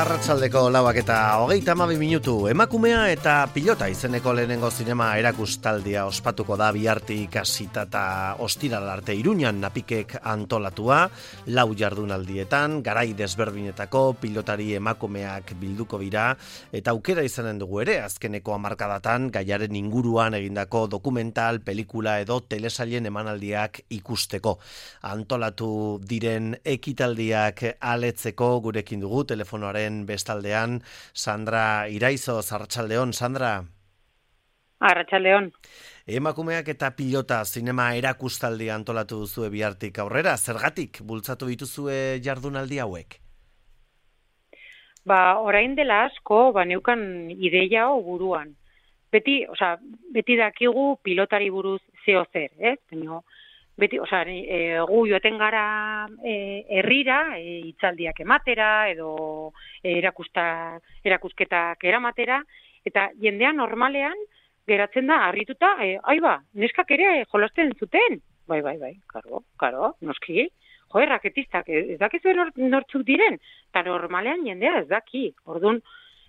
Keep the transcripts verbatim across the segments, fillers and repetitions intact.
Arratsaldeko lauak eta hogeita hamabi minutu. Emakumea eta pilota izeneko lehenengo zinema erakustaldia ospatuko da bihartik hasita eta ostiral arte Iruñan Napikek antolatua, lau jardunaldietan, garai desberdinetako pilotari emakumeak bilduko dira, eta aukera izanen dugu ere, azkeneko hamarkadatan gaiaren inguruan egindako dokumental, pelikula edo telesailen emanaldiak ikusteko. Antolatu diren ekitaldiak aletzeko gurekin dugu telefonoaren bestaldean Sandra Iraizo. Arratsaldeon, Sandra. Arratsaldeon. Emakumeak eta pilota zinema erakustaldi antolatu duzue bihartik aurrera. Zergatik bultzatu dituzue jardunaldi hauek? Ba, orain dela asko, ba, neukan ideia hau buruan. Beti, osea, beti dakigu pilotari buruz zeo zer, ez? Baina, beti, osea, e, gu joaten gara e, herrira, e, hitzaldiak ematera, edo e, erakusta, erakusketak eramatera, eta jendea normalean geratzen da harrituta, e, ai ba, neskak ere jolasten zuten. Bai, bai, bai, karo, karo, noski. Jo, erraketistak, ez dakizu nor, nortzuk diren, eta normalean jendea ez daki. Orduan,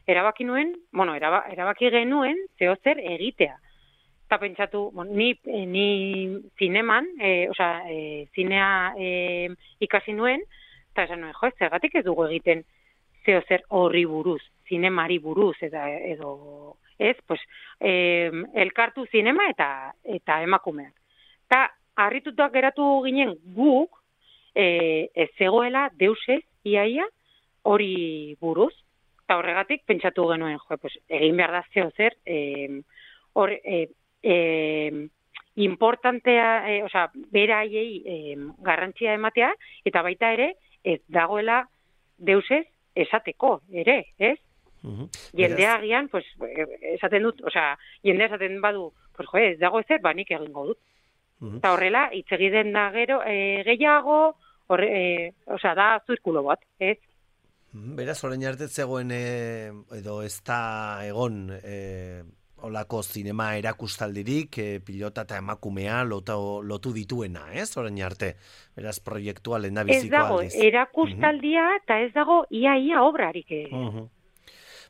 erabaki nuen, bueno, eraba, erabaki genuen zeo zer egitea. Eta pentsatu, bon, ni, ni zineman, e, osea, e, zinea e, ikasi nuen, eta esan nuen, jo, zergatik ez dugu egiten zeo zer horri buruz, zinemari buruz, eta edo, ez, pues, e, elkartu zinema eta eta emakumeak. Eta harritutak geratu ginen guk, e, ez zegoela deusez, iaia, hori buruz, eta horregatik pentsatu genuen, jo, pues, egin behar da zeo zer, e, hor, e, Eh, importantea, eh, osea, beraiei eh, garrantzia ematea, eta baita ere, ez dagoela deusez esateko, ere, ez? Uh-huh. Jendea agian, pues, esaten dut, osea, jendea esaten badu, pues, jo, ez dago ezer, ba, nik egingo dut. Uh-huh. Eta horrela, hitz egiten da gero, eh, gehiago, horre, eh, osea, da zirkulo bat, ez? Beraz, orain arte zegoen, eh, edo ez da egon, eh, olako zinema erakustaldirik, e, pilota eta emakumea lotu, lotu dituena, ez? Orain arte, beraz proiektua lehendabiziko aldiz. Ez dago, erakustaldia eta ez dago ia-ia obrarik. Uh-huh.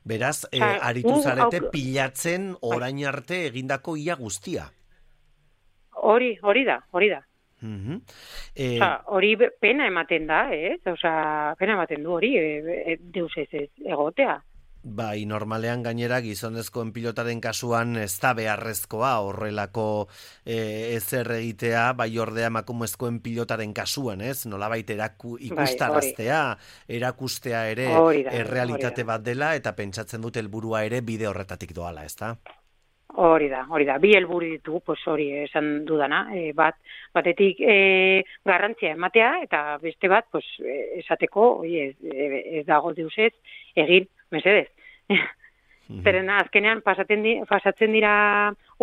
Beraz, e, aritu zarete pilatzen orain arte egindako ia guztia. Hori, hori da, hori da. Uh-huh. E... Osa, hori pena ematen da, ez? Osa, pena ematen du hori, e, e, deus ez ez egotea. Bai, normalean gainera gizonezkoen pilotaren kasuan ez da beharrezkoa horrelako e, ezer egitea, bai ordea emakumezkoen pilotaren kasuan, ez? Nolabait eraku, ikustaraztea, bai, erakustea ere errealitate bat dela, eta pentsatzen dut helburua ere bide horretatik doala, ez da? Hori da, hori da. Bi helburu ditu, pues hori esan dudana, e, bat batetik e, garrantzia ematea, eta beste bat, pues esateko, oi, ez, ez dago deusez egin mesedez. Zeren azkenean pasatzen, di, pasatzen dira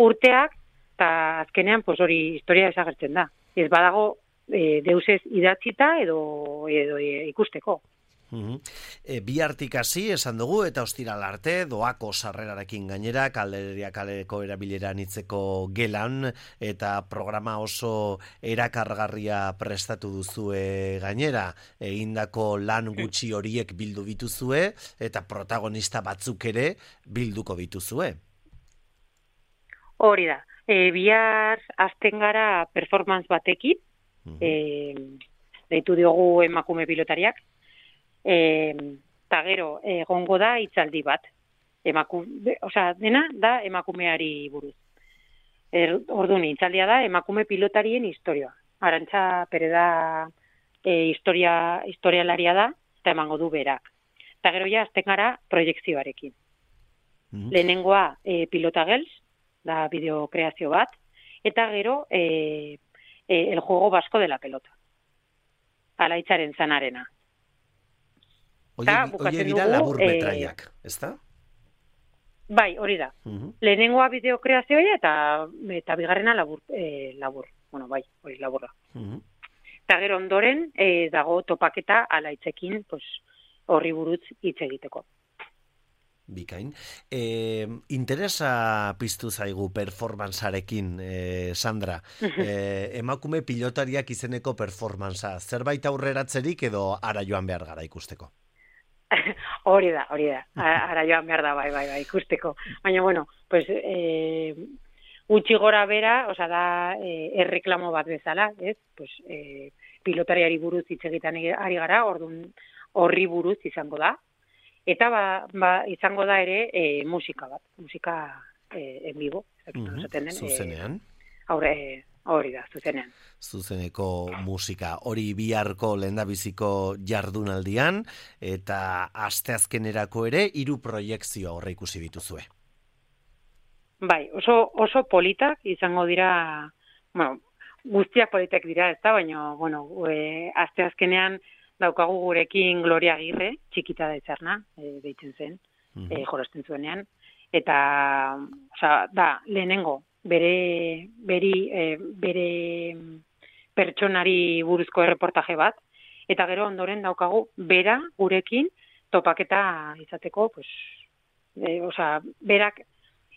urteak, eta azkenean pues hori historia desagertzen da. Ez badago e, deusez idatzita edo, edo e, ikusteko. Uh-huh. E, bi hartik hasi esan dugu eta ostiral arte doako sarrerarekin gainera Kalderia kaleko erabilera nitzeko gelan eta programa oso erakargarria prestatu duzue gainera, egindako lan gutxi horiek bildu dituzue eta protagonista batzuk ere bilduko dituzue. Hori da, e, bihar hasten gara performance batekin, uh-huh. e, deitu diogu emakume pilotariak, eta e, gero egongo da hitzaldi bat. Emakume, osea, dena da emakumeari buruz. Er, orduan, hitzaldia da emakume pilotarien historia. Arantxa Pereda e, historia, historialaria da, eta emango du berak. Eta gero ja, azten gara proiekzioarekin. Mm-hmm. Lehenengoa e, Pilota Girls, da bideokreazio bat, eta gero e, e, el juego vasco de la pelota. Alaitzaren zanarena. Oie dira labur metraiak, e, ez da? Bai, hori da. Uh-huh. Lehenengoa bideokreazioa eta, eta bigarrena labur, e, labur. Bueno, bai, hori laburra. Uh-huh. Eta gero ondoren e, dago topaketa alaitzekin pues, horri buruz hitz egiteko. Bikain. E, interesa piztu zaigu performancearekin, e, Sandra. E, emakume pilotariak izeneko performancea. Zerbait aurreratzerik edo ara joan behar gara ikusteko? hori da, hori da. Ara joan behar da, bai, bai, bai, ikusteko. Baina, bueno, pues, eh, gutxi gora bera, oza, da, eh, erreklamo bat bezala, ez? Pues, eh, pilotariari buruz hitz egiten ari gara, orduan horri buruz izango da. Eta, ba, ba izango da ere, eh, musika bat, musika eh, en vivo. Mm-hmm. Den, zuzenean. Eh, aurre, hori da, zuzenean. Zuzeneko musika hori biharko lehendabiziko jardunaldian eta asteazkenerako ere hiru proiekzio aurre ikusi dituzue. Bai, oso oso politak izango dira, bueno, guztiak politak dira, ezta, baina bueno, e, asteazkenean daukagu gurekin Gloria Agirre, txikita da itzarna, e, deitzen zen, mm-hmm. e, jorosten zuenean, eta, osea, da, lehenengo bere beri, e, bere pertsonari buruzko erreportaje bat, eta gero ondoren daukagu bera gurekin topaketa izateko, pues, e, osea, berak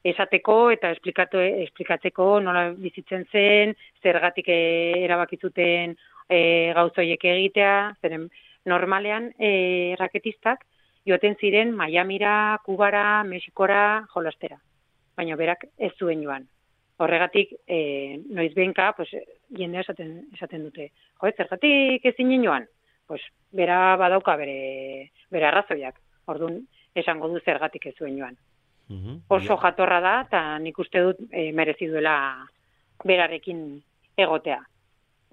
esateko eta esplikatu, esplikatzeko nola bizitzen zen, zergatik erabaki zuten e, gauzoiek egitea, zeren normalean e, raketistak joaten ziren Miamira, Kubara, Mexikora jolastera, baina berak ez zuen joan. Horregatik, e, noiz behinka, pues, jendea esaten, esaten dute. Jo, zergatik ezin joan? Pues, bera badauka bere, bere arrazoiak. Orduan, esango du zergatik ez zuen joan. Mm-hmm. Oso jatorra da, eta nik uste dut e, merezi duela berarekin egotea.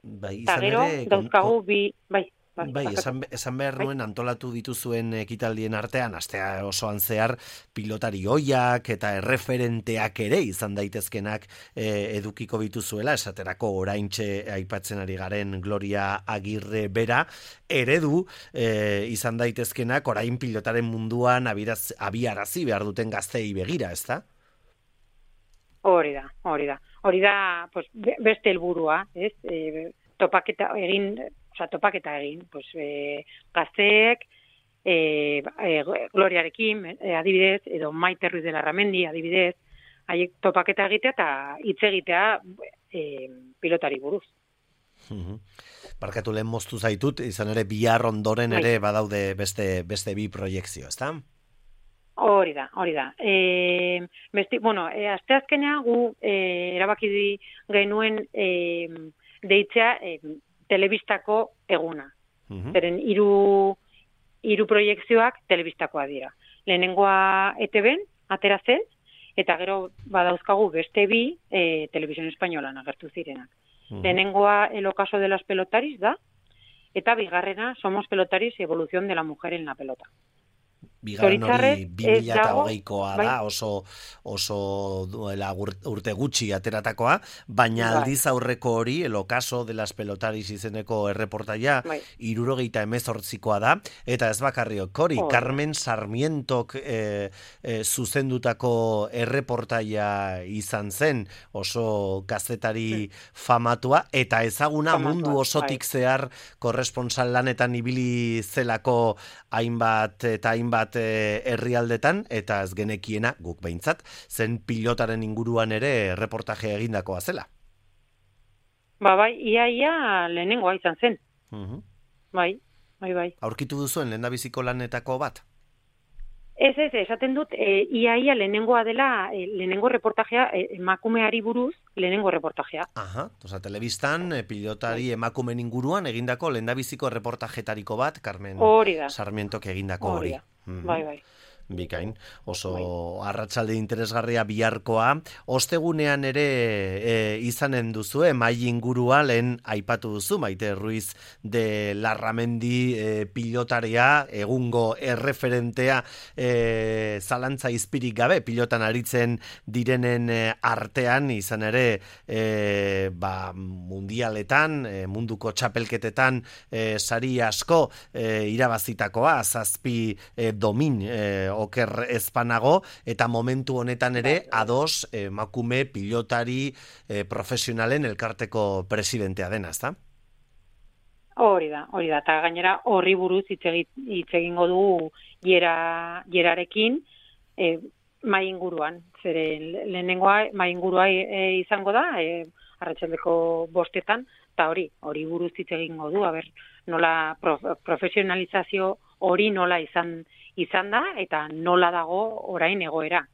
Bai, eta gero, ere, dauzkagu bi... Bai, Bai, bai esan, esan behar nuen antolatu dituzuen ekitaldien artean, astea osoan zehar pilotari oiak eta erreferenteak ere izan daitezkenak e, edukiko bituzuela, esaterako oraintxe aipatzen ari garen Gloria Agirre bera, eredu e, izan daitezkenak orain pilotaren munduan abiraz, abiarazi behar duten gaztei begira, ezta? Hori da, hori da. Hori da, pues, beste helburua, ez? E, topaketa egin... Osa, topaketa egin, pues, e, gazteek, e, e, Gloriarekin, e, adibidez, edo Maite Ruiz de la Ramendi, adibidez, haiek topaketa egitea eta hitz egitea e, pilotari buruz. Barkatu lehen moztu zaitut, izan ere bihar ondoren ere badaude beste, beste bi proiekzio, ezta? Hori da, hori da. E, besti, bueno, e, asteazkenea gu e, erabaki di genuen e, deitzea e, telebistako eguna. Uh-huh. Zeren hiru hiru proiekzioak telebistakoa dira. Lehenengoa E T B-en atera zen, eta gero badauzkagu beste bi e, Televisión Españolan agertu zirenak. Uh-huh. Lehenengoa El ocaso de las pelotaris da, eta bigarrena Somos pelotaris, evolución de la mujer en la pelota. Bigarren hori bi mila eta hogeikoa da, oso, oso duela urte gutxi ateratakoa, baina bai. Aldiz aurreko hori, El ocaso de las pelotaris izeneko erreportaia, bai. Irurogeita emezortzikoa da, eta ez bakarriok hori, oh. Carmen Sarmientok e, e, zuzendutako erreportaia izan zen, oso kazetari hmm. famatua, eta ezaguna famatua, mundu osotik bai. Zehar korresponsal lanetan ibili zelako hainbat eta hainbat herrialdetan, eta ez genekiena guk behintzat, zen pilotaren inguruan ere reportaje egindakoa zela. Ba, bai, ia, ia lehenengoa izan zen. Uh-huh. Bai, bai, bai. Aurkitu duzuen lehendabiziko lanetako bat? Ez, ez, esaten dut, e, ia, ia lehenengoa dela, e, lehenengo reportajea, e, emakumeari buruz, lehenengo reportajea. Aha, oza, telebistan, e, pilotari bai. Emakumen inguruan egindako lehendabiziko reportajetariko bat, Carmen Sarmientok egindako hori. Mm-hmm. Bai, bai. Bikain, oso bai. Arratsalde interesgarria biharkoa. Ostegunean ere e, izanen duzu, mai ingurua lehen aipatu duzu, Maite Ruiz de Larramendi e, pilotaria, egungo erreferentea e, zalantza izpirik gabe, pilotan aritzen direnen e, artean, izan ere e, ba, mundialetan, e, munduko txapelketetan e, sari asko e, irabazitakoa, zazpi e, domin e, oker ezpanago, eta momentu honetan ere ados emakume pilotari eh, profesionalen elkarteko presidentea dena, ezta? Hori da, hori da, eta gainera horri buruz hitz egingo dugu jera, jerarekin e, mai inguruan, zeren lehenengoa mai ingurua e, izango da, e, arratsaldeko bostetan, eta hori, hori buruz hitz egingo du, aber, nola prof, profesionalizazio hori nola izan izan da, eta nola dago orain egoera.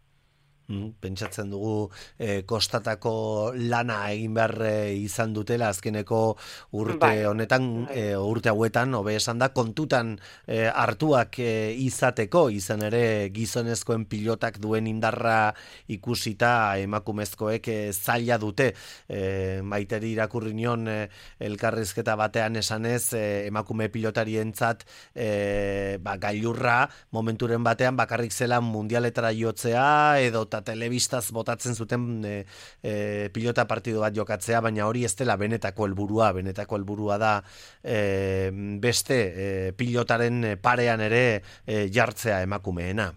Pentsatzen dugu eh, kostatako lana egin behar eh, izan dutela azkeneko urte Bai, honetan, bai. eh, urte hauetan, hobe esan da, kontutan eh, hartuak eh, izateko, izan ere gizonezkoen pilotak duen indarra ikusita emakumezkoek eh, zaila dute. Eh, maiteri irakurri nion eh, elkarrizketa batean esanez, eh, emakume pilotarientzat eh, ba, gailurra momenturen batean bakarrik zela mundialetara jotzea edo telebistaz botatzen zuten e, e, pilota partidu bat jokatzea, baina hori ez dela benetako helburua, benetako helburua da e, beste e, pilotaren parean ere e, jartzea emakumeena.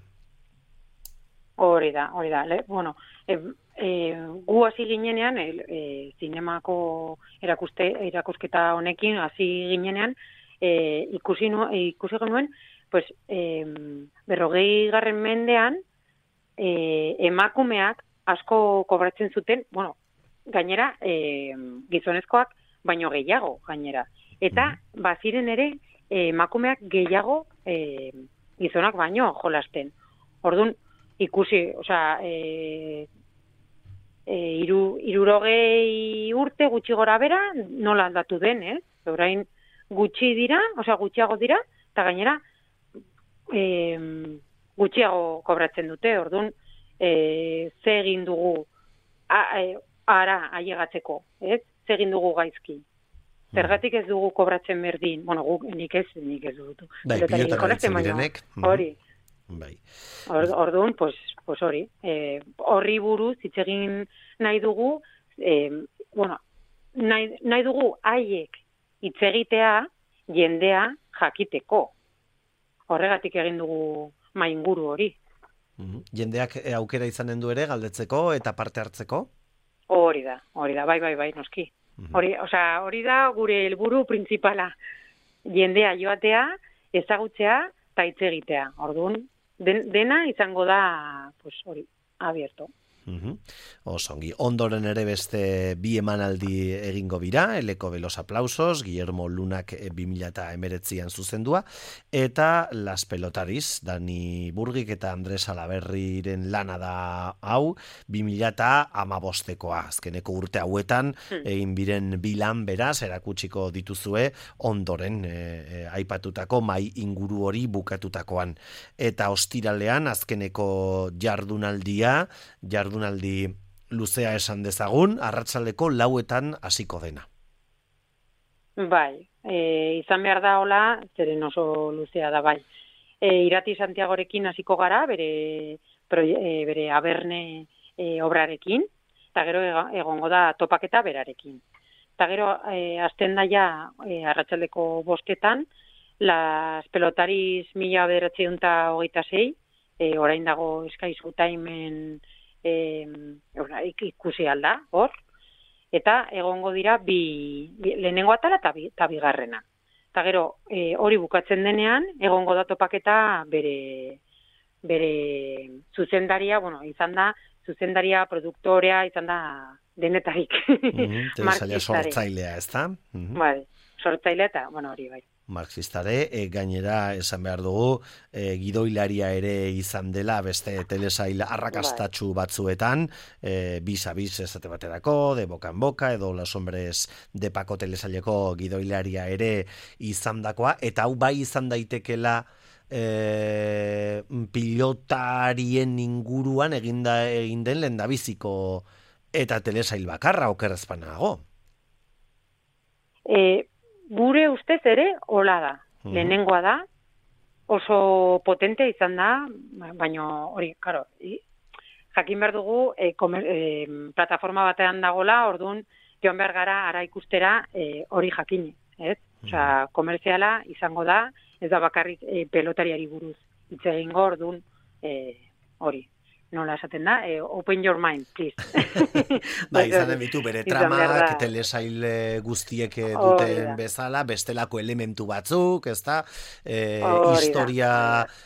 Hori da, hori da. Le, bueno, e, e, gu hasi ginenean, e, e, zinemako erakuste, erakusketa honekin hasi ginenean, e, ikusi, nu, ikusi genuen, pues, e, berrogei garren mendean, E, emakumeak asko kobratzen zuten, bueno, gainera e, gizonezkoak baino gehiago gainera. Eta baziren ere e, emakumeak gehiago e, gizonak baino jolasten. Orduan ikusi, osea, e, e, iru, irurogei urte gutxi gora bera nola aldatu den, ez? Eh? Orain gutxi dira, osea gutxiago dira, eta gainera e, gutxiago kobratzen dute, orduan e, ze egin dugu a, e, ara ailegatzeko, ez? Ze egin dugu gaizki. Zergatik ez dugu kobratzen berdin, bueno, guk nik ez, nik ez dut. Bai, pilotara direnek. Hori. Bai. Orduan, pues, pues hori, e, horri buruz hitz egin nahi dugu, e, bueno, nahi, nahi dugu haiek hitz egitea jendea jakiteko. Horregatik egin dugu mainguru hori. Mm-hmm. Jendeak aukera izanen du ere galdetzeko eta parte hartzeko? Hori da, hori da, bai, bai, bai, noski. Mm-hmm. Hori, osea, hori da gure helburu printzipala. Jendea joatea, ezagutzea eta hitz egitea. Orduan, den, dena izango da, pues hori, abierto. Uh-huh. Osongi, ondoren ere beste bi emanaldi egingo bira, Eleko de los aplausos, Guillermo Lunak bi mila hemeretzian zuzendua, eta Las Pelotariz, Dani Burgik eta Andres Alaberriren lana da hau, bi mila hamabostekoa, azkeneko urte hauetan, hmm. egin biren bilan beraz, erakutsiko dituzue, ondoren e, e, aipatutako mai inguru hori bukatutakoan. Eta ostiralean, azkeneko jardunaldia, jardunaldia Jardunaldi luzea esan dezagun, arratsaldeko lauetan hasiko dena. Bai, e, izan behar da hola, zeren oso luzea da bai. E, Irati Santiagorekin hasiko gara, bere, proie, e, bere aberne e, obrarekin, eta gero egongo da topaketa berarekin. Eta gero e, azten daia e, arratsaldeko bostetan, Las Pelotariz mila bederatziehun eta hogeita sei, e, orain dago Eskaizu Taimen E, ikusi alda, hor, eta egongo dira bi, bi lehenengo atala eta bi, bigarrena. Eta gero, e, hori bukatzen denean, egongo da topaketa bere, bere zuzendaria, bueno, izan da, zuzendaria, produktorea, izan da denetarik. Mm-hmm, Telesaila sortzailea, ez da? Mm-hmm. Bai, sortzailea eta, bueno, hori bai. Marxistare, e, gainera esan behar dugu, e, gidoilaria ere izan dela beste telesail arrakastatsu batzuetan, e, bis-a-bis esate baterako, de boca en boca, edo Los Hombres de Paco telesaileko gidoilaria ere izan dakoa, eta hau bai izan daitekela e, pilotarien inguruan eginda, egin den lendabiziko eta telesail bakarra okerrezpanago. E, Gure ustez ere hola da. Mm-hmm. Lehenengoa da, oso potente izan da, baina hori, karo, jakin behar dugu e, komer, e, plataforma batean dagola, orduan joan behar gara ara ikustera e, hori jakin, ez? Mm-hmm. Osea, komerziala izango da, ez da bakarrik e, pelotariari buruz hitz egingo, orduan e, hori. nola esaten da, e, open your mind, please. Ba, izanen ditu bere tramak, telesail guztiek duten bezala, bestelako elementu batzuk, ez da, e, historia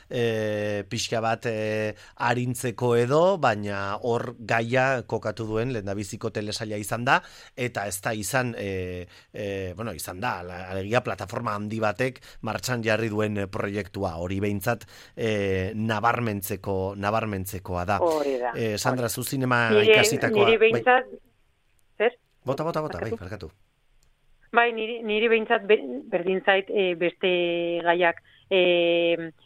e, pixka bat e, arintzeko edo, baina hor gaia kokatu duen lehendabiziko telesaila izan da, eta ez da izan, e, e, bueno, izan da, alegia plataforma handi batek martxan jarri duen proiektua, hori behintzat e, nabarmentzeko, nabarmentzekoa da. Hori da. Eh, Sandra, zu zinema nire, ikasitakoa... Niri behintzat... Zer? Bota, bota, bota, bai, barkatu. Bai, niri, niri behintzat berdin zait e, beste gaiak e,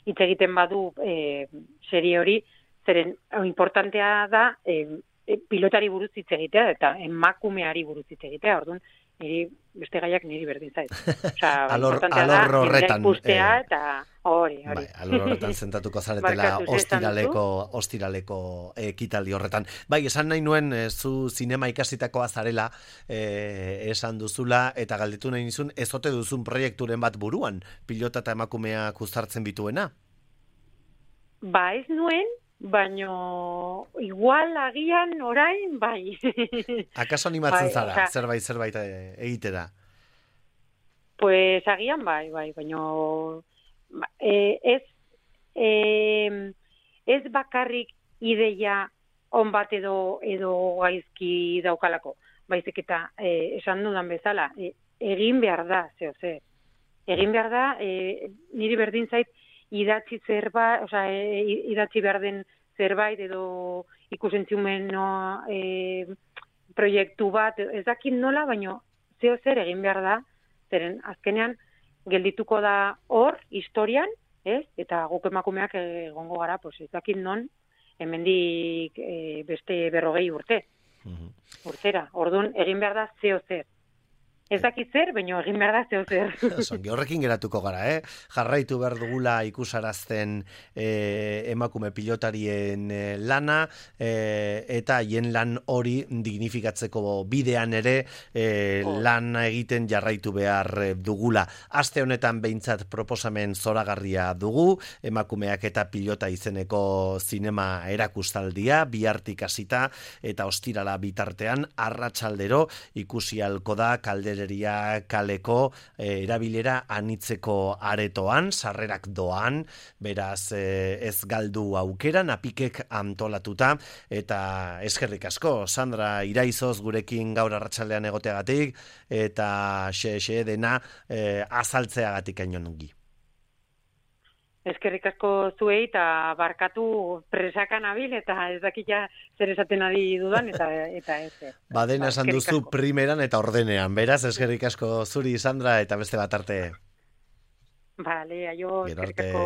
hitz egiten badu e, serie hori, zeren importantea da e, e, pilotari buruz hitz egitea, eta emakumeari buruz hitz egitea, orduan, niri beste gaiak niri berdin zait. Osea, alor, importantea alor da, horretan, ikustea, eh, eta hori, hori. Bai, alor horretan zentatuko zaretela ostiraleko, ostiraleko ekitaldi horretan. Bai, esan nahi nuen, e, zu zinema ikasitakoa zarela, e, esan duzula, eta galdetu nahi nizun, ez ote duzun proiekturen bat buruan, pilota eta emakumeak uztartzen bituena? Ba, ez nuen, baino igual agian orain bai. Akaso animatzen bai, zara, oza, zerbait zerbait egitera? Pues agian bai, bai, baino eh, ez eh, ez bakarrik ideia on bat edo edo gaizki daukalako. Baizik eta eh, esan dudan bezala, eh, egin behar da, zeo zer. Egin behar da, eh, niri berdin zait idatzi zerbait, osea, e, idatzi behar den zerbait edo ikusentziumen no, e, proiektu bat, ez dakit nola, baino zeo zer egin behar da, zeren azkenean geldituko da hor, historian, ez? Eta guk emakumeak egongo gara, pues, ez dakit non, hemendik e, beste berrogei urte. Uh-huh. Urtera, orduan egin behar da zeo zer. Ez dakit zer, baina egin behar da zeo zer. Zongi, horrekin geratuko gara, eh? Jarraitu behar dugula ikusarazten eh, emakume pilotarien eh, lana, eh, eta hien lan hori dignifikatzeko bidean ere eh, oh. lan egiten jarraitu behar dugula. Aste honetan behintzat proposamen zoragarria dugu, emakumeak eta pilota izeneko zinema erakustaldia, bihartik hasita eta ostirala bitartean, arratsaldero ikusi halko da kaldera kaleko eh, erabilera anitzeko aretoan, sarrerak doan, beraz eh, ez galdu aukera, napikek antolatuta, eta eskerrik asko, Sandra Iraizoz gurekin gaur arratsaldean egoteagatik, eta xe-xe dena eh, azaltzeagatik ainonungi. Eskerrik asko zuei eta barkatu presakan abil eta ez dakila zer esaten ari dudan eta eta ez. Ba, dena esan duzu primeran eta ordenean. Beraz, eskerrik asko zuri, Sandra, eta beste bat arte. Vale, aio, eskerrik asko.